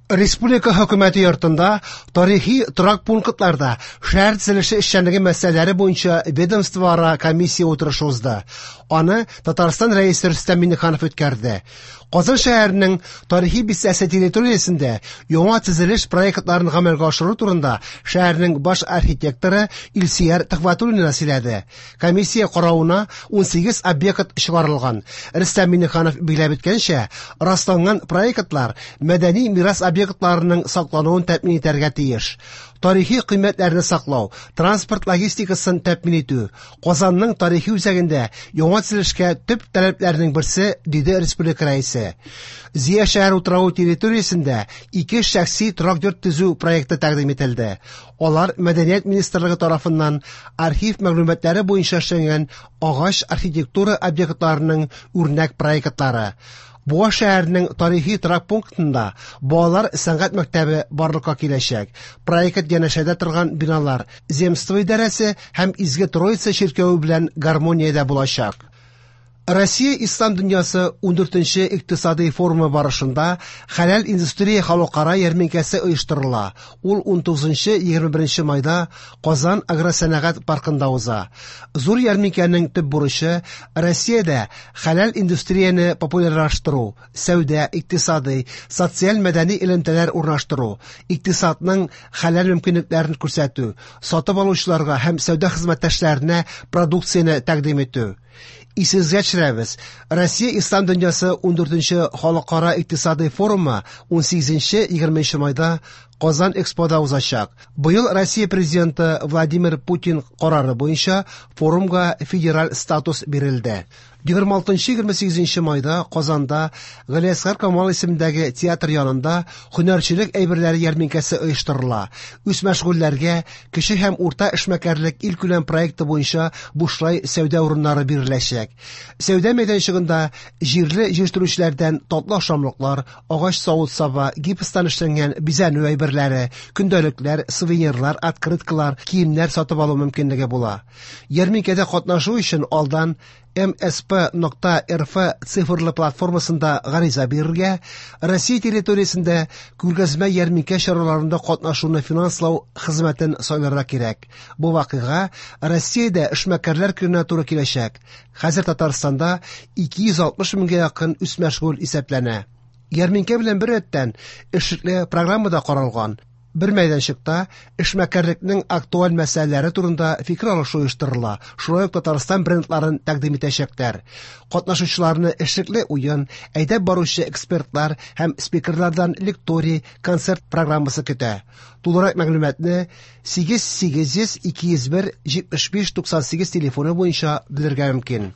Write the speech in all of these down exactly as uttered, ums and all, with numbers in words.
Республика хөкүмәте йортында тарихи торак пунктларда шәһәр төзелеше эшчәнлеге мәсьәләләре буенча ведомствоара комиссия утырышы узды. Аны Татарстан Рәисе Рөстәм Миңнеханов үткәрде. Казан шәһәренең тарихи бистәсе территориясендә яңа төзелеш проектларын гамәлгә ашыру турында шәһәрнең баш архитекторы Илсөяр Төхвәтуллина сөйләде. Комиссия каравына унсигез объект чыгарылган. Рөстәм Миңнеханов билгеләп үткәнчә, расланган проектлар мәдәни мирас объектларының саклануын тәэмин итәргә тиеш. Тарихи кыйммәтләрне саклау, транспорт логистикасын тәэмин итү, Казанның тарихи үзәгендә яңа төзелешкә төп таләпләрнең берсе, диде республика рәисе. Зөя шәһәр утравы территориясендә ике шәхси торак йорт төзү проекты тәкъдим ителде. Алар Мәдәният министрлыгы тарафыннан архив мәгълүматлары буенча эшләнгән агач архитектура объектларының үрнәк проектлары. Буа шәһәренең тарихи торак пунктында балалар сәнгать мәктәбе барлыкка киләчәк. Проект янәшәдә торган биналар Земство идарәсе һәм Изге Троица чиркәве белән гармониядә булачак. Россия Ислам дөньясы ундүртенче икътисади форумы барышында хәләл индустрия халыкара ярминкәсе оештырыла. Ул унтугызынчы егерме беренче майда Казан агросәнәгать паркында уза. Зур ярминкәнең төп бурычы Россиядә хәләл индустрияне популярлаштыру, сәүдә, икътисади, социаль мәдәни элемтәләр урнаштыру, икътисадның хәләл мөмкинлекләрен күрсәтү, сатып алучыларга һәм сәүдә хезмәттәшләренә продукцияне тәкъдим итү. Исегезгә төшерәбез, Россия Ислам дөньясы ундүртенче халыкара икътисади форумы унсигезенче егерменче майда Казан Экспода узачак. Быел Россия президенты Владимир Путин карары буенча форумга федераль статус бирелде. Егерме алтынчы егерме сигезенче майда Казанда Галиәсгар Камал исемендәге театр янында һөнәрчелек әйберләре ярминкәсе оештырыла. Үз мәшгульләргә кече һәм урта эшмәкәрлек илкүләм проекты буенча бушлай сәүдә урыннары биреләчәк. Сәүдә мәйданчыгында җирле җитештерүчеләрдән татлы ашамлыклар, агач савыт-саба, гипстан эшләнгән бизәнү әйберләре, көндәлекләр, сувенирлар, открыткалар, киемнәр сатып алу мөмкинлеге була. Ярминкәдә катнашу өчен алдан эм эс пэ нокта эр эф цифрлы платформасында гариза бирергә, Россия территориясендә күргәзмә ярминкә чараларында катнашуны финанслау хезмәтен сайларга кирәк. Бу вакыйга Россиядә эшмәкәрләр көненә туры киләчәк. Хәзер Татарстанда ике йөз алтмыш меңгә якын үзмәшгуль исәпләнә. Ярминкә белән бер рәттән эшлекле программа да каралган. Бер мәйданчыкта эшмәкәрлекнең актуаль мәсьәләләре турында фикер алышу оештырыла. Шулай ук Татарстан брендларын тәкъдим итәчәкләр. Катнашучыларны эшлекле уен, әйдәп баручы экспертлар һәм спикерлардан лекторий, концерт программасы көтә. Тулырак мәгълүматны сигез сигез йөз ике йөз бер җитмеш биш туксан сигез телефоны буенча белергә мөмкин.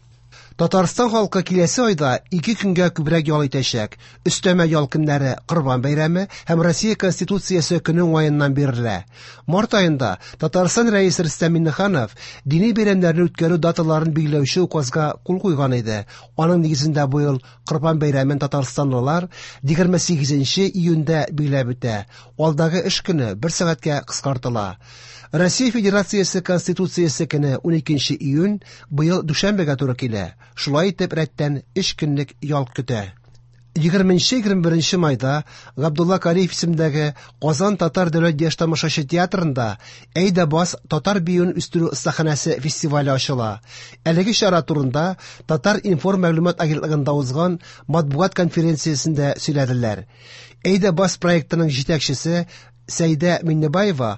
Татарстан халкы киләсе айда ике көнгә күбрәк ял итәчәк. Өстәмә ял көннәре Корбан бәйрәме һәм Россия Конституциясе көне уңаеннан бирелә. Март аенда Татарстан Рәисе Рөстәм Миңнеханов дини бәйрәмнәрне үткәрү даталарын билгеләүче указга кул куйган иде. Аның нигезендә быел Корбан бәйрәмен татарстанлылар егерме сигезенче июньдә билгеләп үтә. Алдагы эш көне бер сәгатькә кыскартыла. Россия Федерациясе Конституциясе көне уникенче июнь быел дүшәмбегә туры килә. Шулай итеп рәттән өч көнлек ял көтә. Егерменче егерме беренче майда Габдулла Кариев исемендәге Казан татар дәүләт яшь тамашачы театрында Әйдә бас татар биюен үстерү остаханәсе фестивале ачыла. Әлеге чара турында Татар информ мәгълүмат агентлыгында узган матбугат конференциясендә сөйләделәр. Әйдә бас проектының җитәкчесе Сәйдә Миннебаева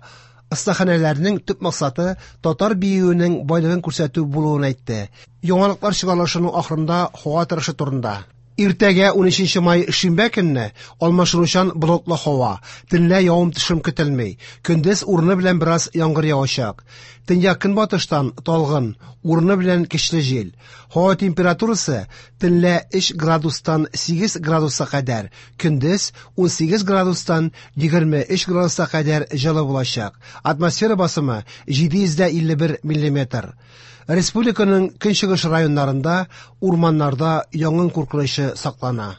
остаханәләрнең төп максаты татар биюенең байлыгын күрсәтү булуын әйтте. Яңалыклар чыгарылышының ахырында һава торышы турында. Иртәгә унөченче май шимбә көнне алмашынучан болытлы һава, төнлә явым-төшем көтелми. Көндез урыны белән бераз яңгыр явачак. Төньяк көнбатыштан талгын, урыны белән көчле җил. Һава температурасы төнлә өч градустан сигез градуска кадәр, көндез унсигез градустан егерме өч градуска кадәр җылы булачак. Атмосфера басымы җиде йөз дә илле бер миллиметр. Республиканың көнчыгыш районнарында урманнарда янгын куркынычы саклана.